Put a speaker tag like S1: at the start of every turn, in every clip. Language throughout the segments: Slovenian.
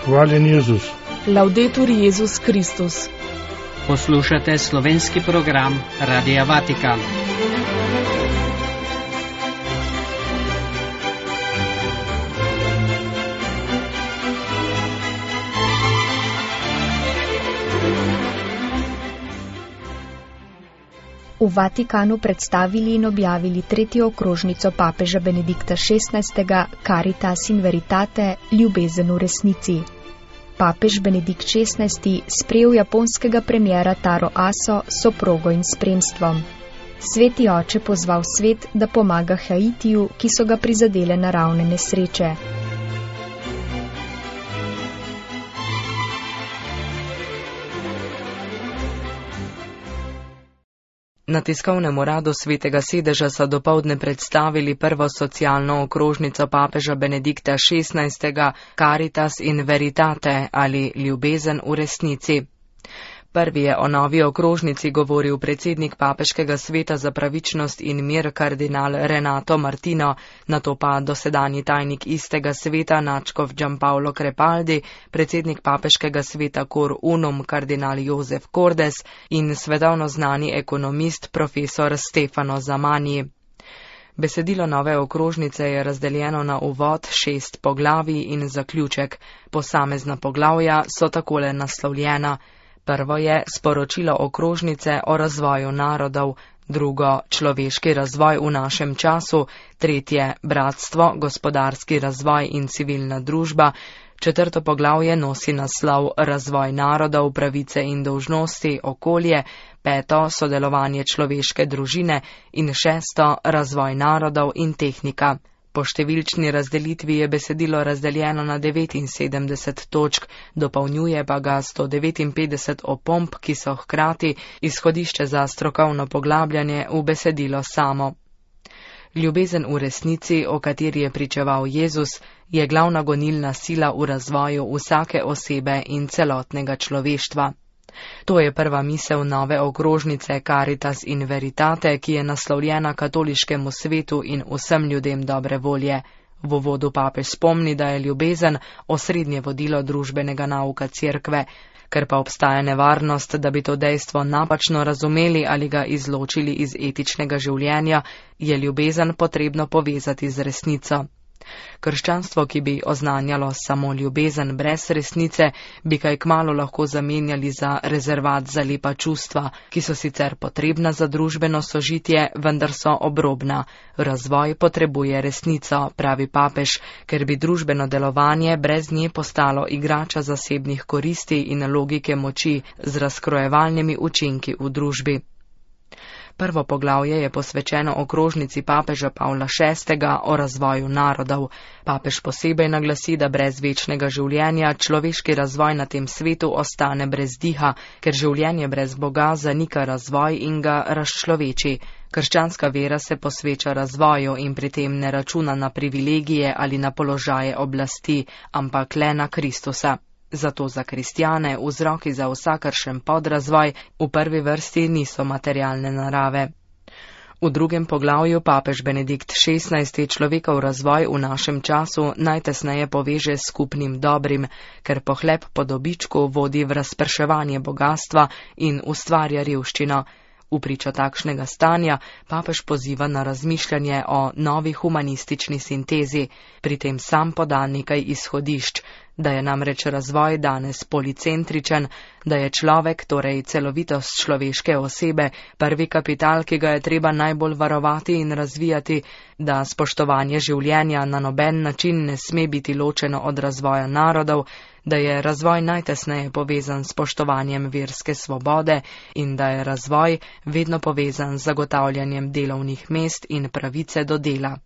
S1: Hvaljen Jezus.
S2: Laudetur Jezus Kristus.
S3: Poslušate slovenski program Radia Vatikan.
S4: V Vatikanu predstavili in objavili tretjo okrožnico papeža Benedikta XVI. Caritas in Veritate, ljubezen v resnici. Papež Benedikt XVI. Sprejel japonskega premiera Taro Aso, soprogo in spremstvom. Sveti oče pozval svet, da pomaga Haitiju, ki so ga prizadele naravne nesreče.
S5: Na tiskovnem uradu Svetega sedeža so dopoldne predstavili prvo socialno okrožnico papeža Benedikta XVI. Caritas in Veritate ali ljubezen v resnici. Prvi je o novi okrožnici govoril predsednik Papeškega sveta za pravičnost in mir kardinal Renato Martino, nato pa dosedanji tajnik istega sveta nadškof Gianpaolo Crepaldi, predsednik Papeškega sveta Cor Unum kardinal Jozef Cordes in svetovno znani ekonomist profesor Stefano Zamani. Besedilo nove okrožnice je razdeljeno na uvod, 6 poglavij in zaključek. Posamezna poglavja so takole naslovljena. Prvo je sporočilo okrožnice o razvoju narodov, drugo človeški razvoj v našem času, tretje bratstvo, gospodarski razvoj in civilna družba, četrto poglavje nosi naslov razvoj narodov, pravice in dolžnosti, okolje, peto sodelovanje človeške družine in šesto razvoj narodov in tehnika. Po številčni razdelitvi je besedilo razdeljeno na 79 točk, dopolnjuje pa ga 159 opomb, ki so hkrati izhodišče za strokovno poglabljanje v besedilo samo. Ljubezen v resnici, o kateri je pričeval Jezus, je glavna gonilna sila v razvoju vsake osebe in celotnega človeštva. To je prva misel nove okrožnice Caritas in Veritate, ki je naslovljena katoliškemu svetu in vsem ljudem dobre volje. V uvodu papež spomni, da je ljubezen osrednje vodilo družbenega nauka Cerkve, ker pa obstaja nevarnost, da bi to dejstvo napačno razumeli ali ga izločili iz etičnega življenja, je ljubezen potrebno povezati z resnico. Krščanstvo, ki bi oznanjalo samo ljubezen brez resnice, bi kaj kmalu lahko zamenjali za rezervat za lepa čustva, ki so sicer potrebna za družbeno sožitje, vendar so obrobna. Razvoj potrebuje resnico, pravi papež, ker bi družbeno delovanje brez nje postalo igrača zasebnih koristi in logike moči z razkrojevalnimi učinki v družbi. Prvo poglavje je posvečeno okrožnici papeža Pavla VI. O razvoju narodov. Papež posebej naglasi, da brez večnega življenja človeški razvoj na tem svetu ostane brez diha, ker življenje brez Boga zanika razvoj in ga razčloveči. Krščanska vera se posveča razvoju in pri tem ne računa na privilegije ali na položaje oblasti, ampak le na Kristusa. Zato za kristjane vzroki za vsakršen podrazvoj v prvi vrsti niso materialne narave. V drugem poglavju papež Benedikt XVI. Človekov razvoj v našem času najtesneje poveže s skupnim dobrim, ker pohlep po dobičku vodi v razprševanje bogastva in ustvarja revščino. V pričo takšnega stanja papež poziva na razmišljanje o novi humanistični sintezi, pri tem sam poda nekaj izhodišč, da je namreč razvoj danes policentričen, da je človek, torej celovitost človeške osebe, prvi kapital, ki ga je treba najbolj varovati in razvijati, da spoštovanje življenja na noben način ne sme biti ločeno od razvoja narodov, da je razvoj najtesneje povezan s spoštovanjem verske svobode in da je razvoj vedno povezan z zagotavljanjem delovnih mest in pravice do dela.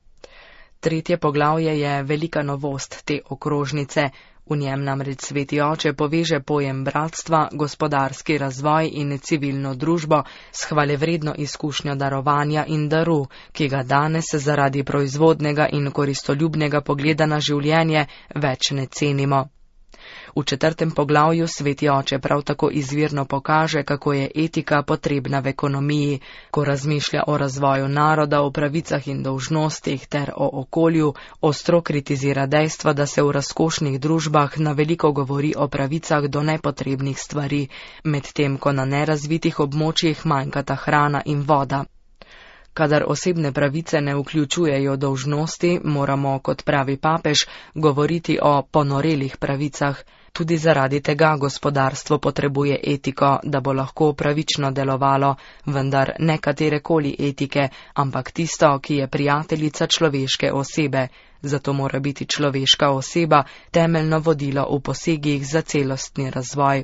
S5: Tretje poglavje je velika novost te okrožnice. V njem namreč sveti oče poveže pojem bratstva, gospodarski razvoj in civilno družbo s hvalevredno izkušnjo darovanja in daru, ki ga danes zaradi proizvodnega in koristoljubnega pogleda na življenje več ne cenimo. V 4. poglavju sveti oče prav tako izvirno pokaže, kako je etika potrebna v ekonomiji, ko razmišlja o razvoju naroda, o pravicah in dolžnostih ter o okolju, ostro kritizira dejstvo, da se v razkošnih družbah na veliko govori o pravicah do nepotrebnih stvari, medtem ko na nerazvitih območjih manjkata hrana in voda. Kadar osebne pravice ne vključujejo dolžnosti, moramo, kot pravi papež, govoriti o ponorelih pravicah. Tudi zaradi tega gospodarstvo potrebuje etiko, da bo lahko pravično delovalo, vendar ne katerekoli etike, ampak tisto, ki je prijateljica človeške osebe. Zato mora biti človeška oseba temeljno vodilo v posegih za celostni razvoj.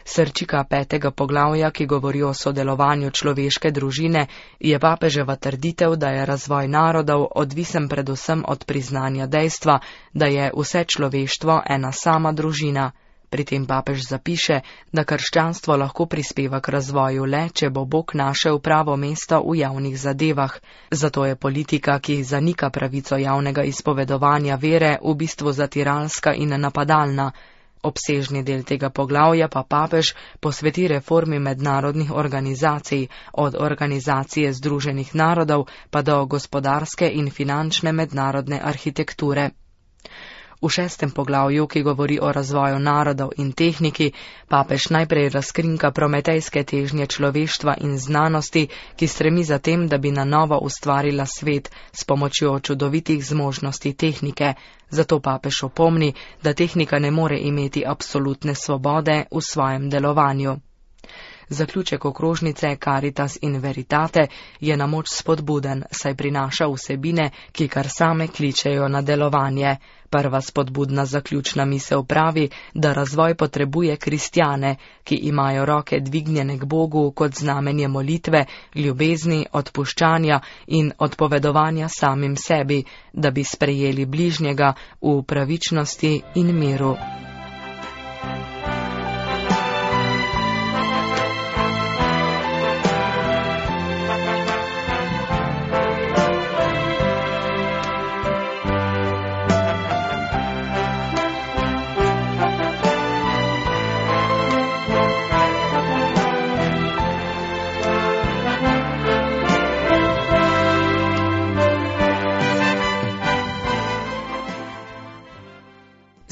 S5: Srčika 5. poglavja, ki govori o sodelovanju človeške družine, je papeževa trditev, da je razvoj narodov odvisen predvsem od priznanja dejstva, da je vse človeštvo ena sama družina. Pri tem papež zapiše, da krščanstvo lahko prispeva k razvoju le, če bo Bog našel pravo mesto v javnih zadevah. Zato je politika, ki zanika pravico javnega izpovedovanja vere, v bistvu zatiralska in napadalna. Obsežni del tega poglavja pa papež posveti reformi mednarodnih organizacij, od Organizacije združenih narodov pa do gospodarske in finančne mednarodne arhitekture. V 6. poglavju, ki govori o razvoju narodov in tehniki, papež najprej razkrinka prometejske težnje človeštva in znanosti, ki stremi za tem, da bi na novo ustvarila svet s pomočjo čudovitih zmožnosti tehnike. Zato papež opomni, da tehnika ne more imeti absolutne svobode v svojem delovanju. Zaključek okrožnice Caritas in Veritate je na moč spodbuden, saj prinaša vsebine, ki kar same kličejo na delovanje. Prva spodbudna zaključna misel pravi, da razvoj potrebuje kristjane, ki imajo roke dvignjene k Bogu kot znamenje molitve, ljubezni, odpuščanja in odpovedovanja samim sebi, da bi sprejeli bližnjega v pravičnosti in miru.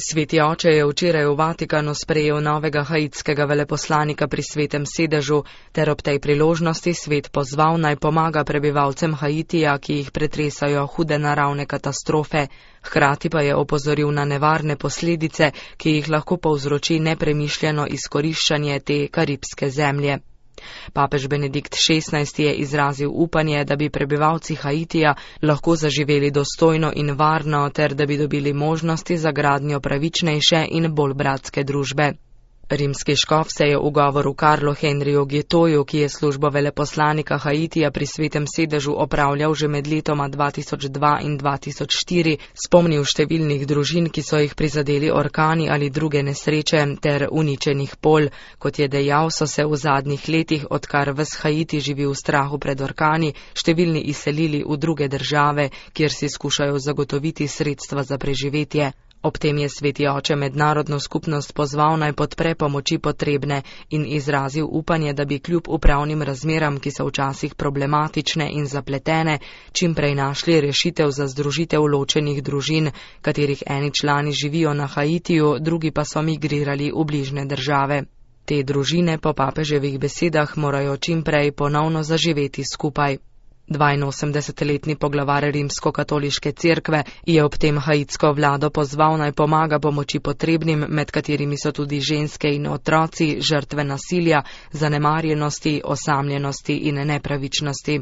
S5: Sveti oče je včeraj v Vatikanu sprejel novega haitskega veleposlanika pri svetem sedežu ter ob tej priložnosti svet pozval naj pomaga prebivalcem Haitija, ki jih pretresajo hude naravne katastrofe. Hkrati pa je opozoril na nevarne posledice, ki jih lahko povzroči nepremišljeno izkoriščanje te karibske zemlje. Papež Benedikt XVI je izrazil upanje, da bi prebivalci Haitija lahko zaživeli dostojno in varno ter da bi dobili možnosti za gradnjo pravičnejše in bolj bratske družbe. Rimski škof se je v govoru Karlu Henriju Getoju, ki je službo veleposlanika Haitija pri svetem sedežu opravljal že med letoma 2002 in 2004, spomnil številnih družin, ki so jih prizadeli orkani ali druge nesreče ter uničenih polj. Kot je dejal, so se v zadnjih letih, odkar ves Haiti živi v strahu pred orkani, številni izselili v druge države, kjer si skušajo zagotoviti sredstva za preživetje. Ob tem je sveti oče mednarodno skupnost pozval naj podpre pomoči potrebne in izrazil upanje, da bi kljub upravnim razmeram, ki so včasih problematične in zapletene, čim prej našli rešitev za združitev ločenih družin, katerih eni člani živijo na Haitiju, drugi pa so migrirali v bližnje države. Te družine po papeževih besedah morajo čim prej ponovno zaživeti skupaj. 82-letni poglavar Rimsko-katoliške cerkve je ob tem haitsko vlado pozval naj pomaga pomoči potrebnim, med katerimi so tudi ženske in otroci, žrtve nasilja, zanemarjenosti, osamljenosti in nepravičnosti.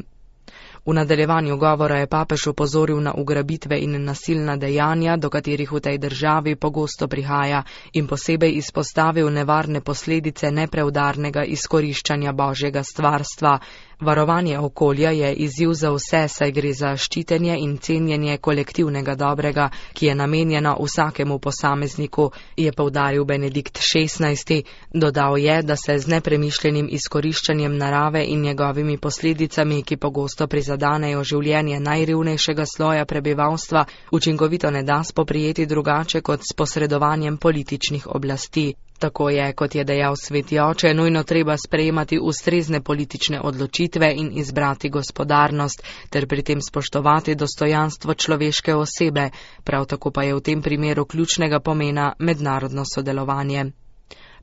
S5: V nadaljevanju govora je papež opozoril na ugrabitve in nasilna dejanja, do katerih v tej državi pogosto prihaja, in posebej izpostavil nevarne posledice nepreudarnega izkoriščanja božjega stvarstva. Varovanje okolja je izziv za vse, saj gre za ščitenje in cenjenje kolektivnega dobrega, ki je namenjeno vsakemu posamezniku, je poudaril Benedikt XVI. Dodal je, da se z nepremišljenim izkoriščanjem narave in njegovimi posledicami, ki pogosto prizadevajo zadanejo življenje najrevnejšega sloja prebivalstva, učinkovito ne da spoprijeti drugače kot s posredovanjem političnih oblasti. Tako je, kot je dejal Sveti oče, nujno treba sprejemati ustrezne politične odločitve in izbrati gospodarnost, ter pri tem spoštovati dostojanstvo človeške osebe, prav tako pa je v tem primeru ključnega pomena mednarodno sodelovanje.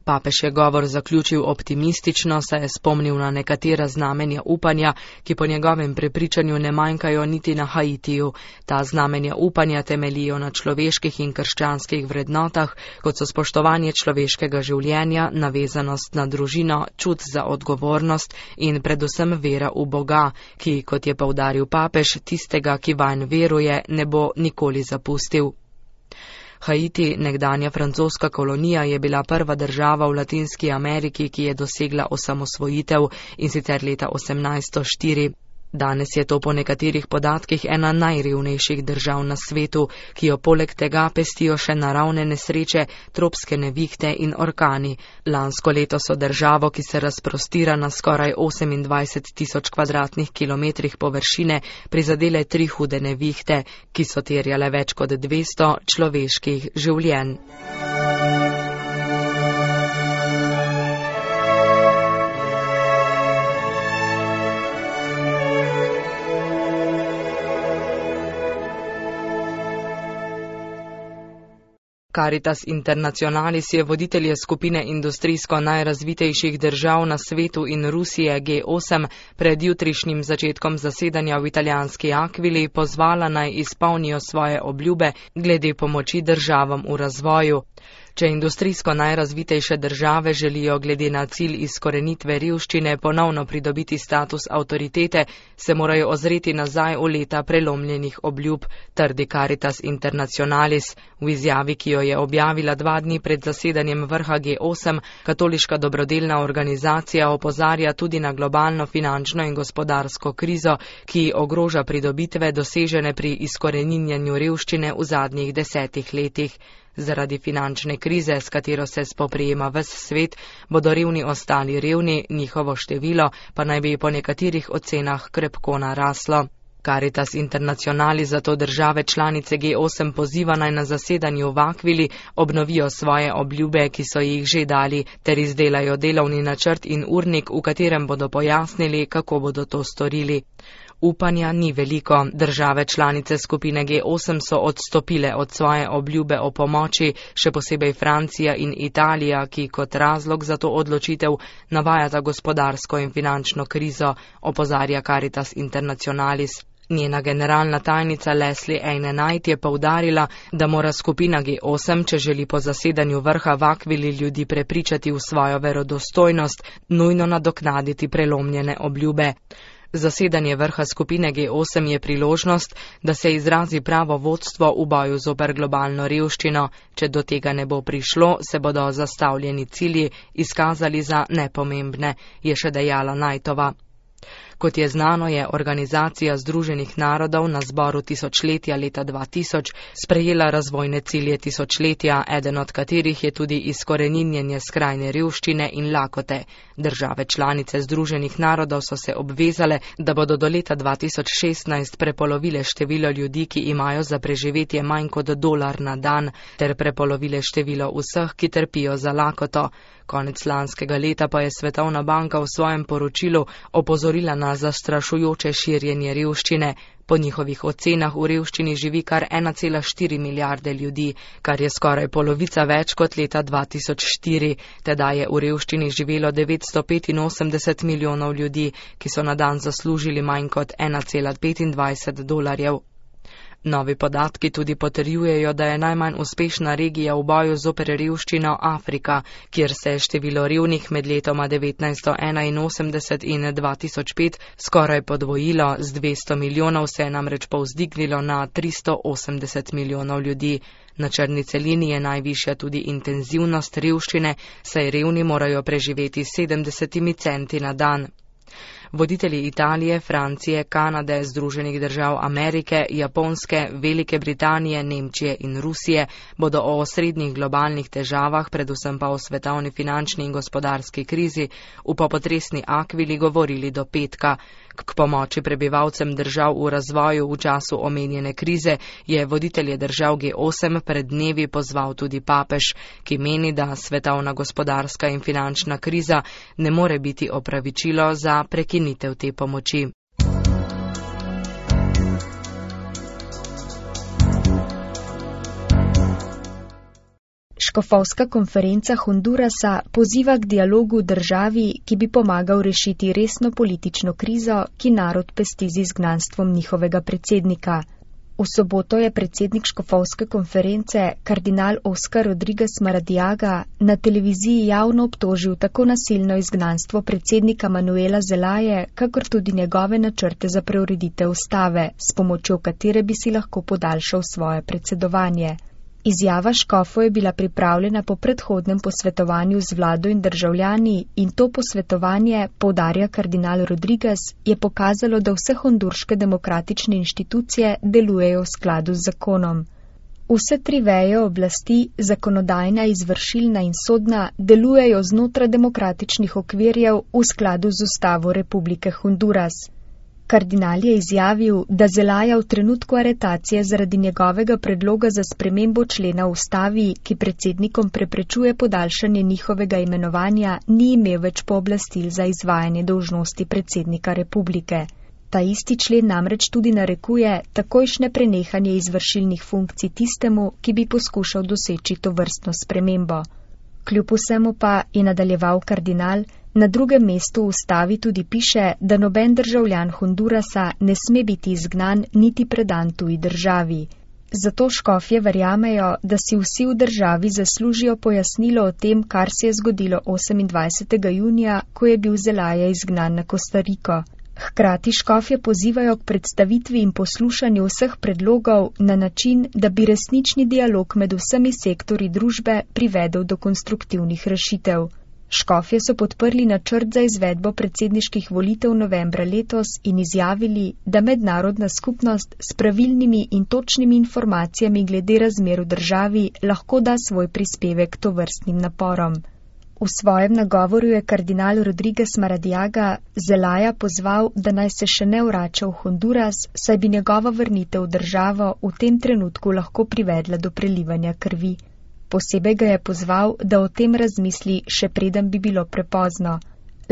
S5: Papež je govor zaključil optimistično, saj je spomnil na nekatera znamenja upanja, ki po njegovem prepričanju ne manjkajo niti na Haitiju. Ta znamenja upanja temelijo na človeških in krščanskih vrednotah, kot so spoštovanje človeškega življenja, navezanost na družino, čut za odgovornost in predvsem vera v Boga, ki, kot je poudaril papež, tistega, ki vanj veruje, ne bo nikoli zapustil. Haiti, nekdanja francoska kolonija, je bila prva država v Latinski Ameriki, ki je dosegla osamosvojitev, in sicer leta 1804. Danes je to po nekaterih podatkih ena najrevnejših držav na svetu, ki jo poleg tega pestijo še naravne nesreče, tropske nevihte in orkani. Lansko leto so državo, ki se razprostira na skoraj 28.000 kvadratnih kilometrih površine, prizadele 3 hude nevihte, ki so terjale več kot 200 človeških življenj. Caritas Internationalis je voditelje skupine industrijsko najrazvitejših držav na svetu in Rusije G8 pred jutrišnjim začetkom zasedanja v italijanski Akvili pozvala naj izpolnijo svoje obljube glede pomoči državam v razvoju. Če industrijsko najrazvitejše države želijo glede na cilj izkorenitve revščine ponovno pridobiti status avtoritete, se morajo ozreti nazaj v leta prelomljenih obljub, trdi Caritas Internationalis. V izjavi, ki jo je objavila 2 dni pred zasedanjem vrha G8, katoliška dobrodelna organizacija opozarja tudi na globalno finančno in gospodarsko krizo, ki ogroža pridobitve dosežene pri izkoreninjanju revščine v zadnjih 10 letih. Zaradi finančne krize, s katero se spoprijema ves svet, bodo revni ostali revni, njihovo število pa naj bi po nekaterih ocenah krepko naraslo. Caritas Internationalis zato države članice G8 poziva naj na zasedanju v Akvili obnovijo svoje obljube, ki so jih že dali, ter izdelajo delovni načrt in urnik, v katerem bodo pojasnili, kako bodo to storili. Upanja ni veliko. Države članice skupine G8 so odstopile od svoje obljube o pomoči, še posebej Francija in Italija, ki kot razlog za to odločitev navajata gospodarsko in finančno krizo, opozarja Caritas Internationalis. Njena generalna tajnica Leslie Eine-Knight je poudarila, da mora skupina G8, če želi po zasedanju vrha v Akvili ljudi prepričati v svojo verodostojnost, nujno nadoknaditi prelomljene obljube. Zasedanje vrha skupine G8 je priložnost, da se izrazi pravo vodstvo v boju zoper globalno revščino. Če do tega ne bo prišlo, se bodo zastavljeni cilji izkazali za nepomembne, je še dejala Knightova. Kot je znano, je Organizacija Združenih narodov na zboru tisočletja leta 2000 sprejela razvojne cilje tisočletja, eden od katerih je tudi izkoreninjenje skrajne revščine in lakote. Države članice Združenih narodov so se obvezale, da bodo do leta 2016 prepolovile število ljudi, ki imajo za preživetje manj kot $1 na dan, ter prepolovile število vseh, ki trpijo za lakoto. Konec lanskega leta pa je Svetovna banka v svojem poročilu opozorila na zastrašujoče širjenje revščine. Po njihovih ocenah v revščini živi kar 1,4 milijarde ljudi, kar je skoraj polovica več kot leta 2004. Teda je v revščini živelo 985 milijonov ljudi, ki so na dan zaslužili manj kot $1,25. Novi podatki tudi potrjujejo, da je najmanj uspešna regija v boju zoper revščino Afrika, kjer se je število revnih med letoma 1981 in 2005 skoraj podvojilo, z 200 milijonov se je namreč povzdignilo na 380 milijonov ljudi. Na črni celini je najvišja tudi intenzivnost revščine, saj revni morajo preživeti 70 centi na dan. Voditelji Italije, Francije, Kanade, Združenih držav Amerike, Japonske, Velike Britanije, Nemčije in Rusije bodo o osrednjih globalnih težavah, predvsem pa o svetovni finančni in gospodarski krizi, v popotresni Akvili govorili do petka. K pomoči prebivalcem držav v razvoju v času omenjene krize je voditelje držav G8 pred dnevi pozval tudi papež, ki meni, da svetovna gospodarska in finančna kriza ne more biti opravičilo za prekinitev te pomoči.
S4: Škofovska konferenca Hondurasa poziva k dialogu v državi, ki bi pomagal rešiti resno politično krizo, ki narod pesti z izgnanstvom njihovega predsednika. V soboto je predsednik Škofovske konference, kardinal Oscar Rodriguez Maradiaga, na televiziji javno obtožil tako nasilno izgnanstvo predsednika Manuela Zelaje, kakor tudi njegove načrte za preureditev ustave, s pomočjo katere bi si lahko podaljšal svoje predsedovanje. Izjava škofov je bila pripravljena po predhodnem posvetovanju z vlado in državljani in to posvetovanje, poudarja kardinal Rodriguez, je pokazalo, da vse hondurške demokratične inštitucije delujejo v skladu z zakonom. Vse tri veje oblasti, zakonodajna, izvršilna in sodna, delujejo znotraj demokratičnih okvirjev v skladu z Ustavo Republike Honduras. Kardinal je izjavil, da Zelaja v trenutku aretacije zaradi njegovega predloga za spremembo člena v ustavi, ki predsednikom preprečuje podaljšanje njihovega imenovanja, ni imel več pooblastil za izvajanje dolžnosti predsednika republike. Ta isti člen namreč tudi narekuje takojšnje prenehanje izvršilnih funkcij tistemu, ki bi poskušal doseči to vrstno spremembo. Kljub vsemu pa, je nadaljeval kardinal, na drugem mestu v ustavi tudi piše, da noben državljan Hondurasa ne sme biti izgnan niti predan tuji državi. Zato škofje verjamejo, da si vsi v državi zaslužijo pojasnilo o tem, kar se je zgodilo 28. junija, ko je bil Zelaya izgnan na Kostariko. Hkrati škofje pozivajo k predstavitvi in poslušanju vseh predlogov na način, da bi resnični dialog med vsemi sektorji družbe privedel do konstruktivnih rešitev. Škofje so podprli načrt za izvedbo predsedniških volitev novembra letos in izjavili, da mednarodna skupnost s pravilnimi in točnimi informacijami glede razmer v državi lahko da svoj prispevek tovrstnim naporom. V svojem nagovoru je kardinal Rodriguez Maradiaga Zelaya pozval, da naj se še ne vrača v Honduras, saj bi njegova vrnitev v državo v tem trenutku lahko privedla do prelivanja krvi. Posebej ga je pozval, da o tem razmisli, še preden bi bilo prepozno.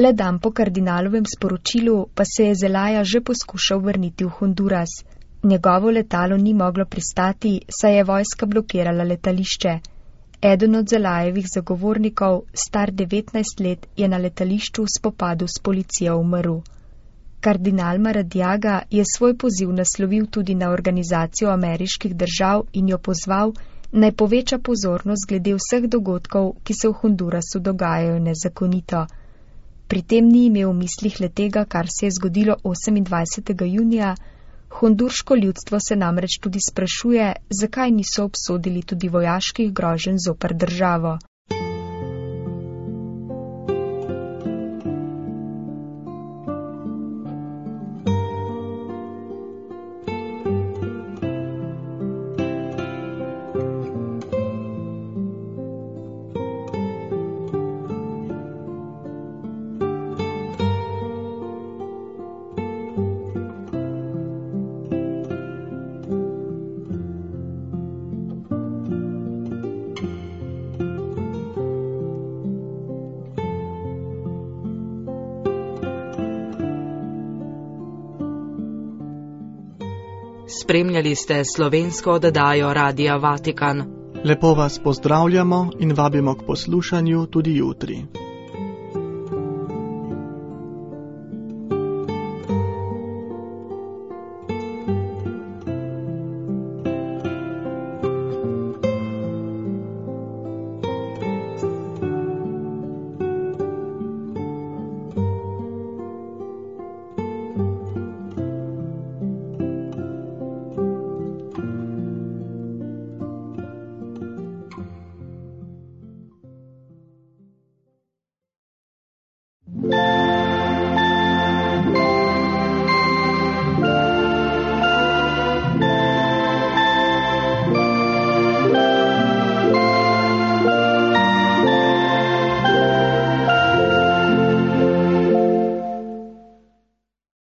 S4: Le dan po kardinalovem sporočilu pa se je Zelaya že poskušal vrniti v Honduras. Njegovo letalo ni moglo pristati, saj je vojska blokirala letališče. Eden od Zelayevih zagovornikov, star 19 let, je na letališču v spopadu s policijo umrl. Kardinal Maradiaga je svoj poziv naslovil tudi na Organizacijo ameriških držav in jo pozval, naj poveča pozornost glede vseh dogodkov, ki se v Hondurasu dogajajo nezakonito. Pri tem ni imel v mislih le tega, kar se je zgodilo 28. junija. Hondurško ljudstvo se namreč tudi sprašuje, zakaj niso obsodili tudi vojaških groženj zoper državo.
S5: Spremljali ste slovensko oddajo Radia Vatikan.
S1: Lepo vas pozdravljamo in vabimo k poslušanju tudi jutri.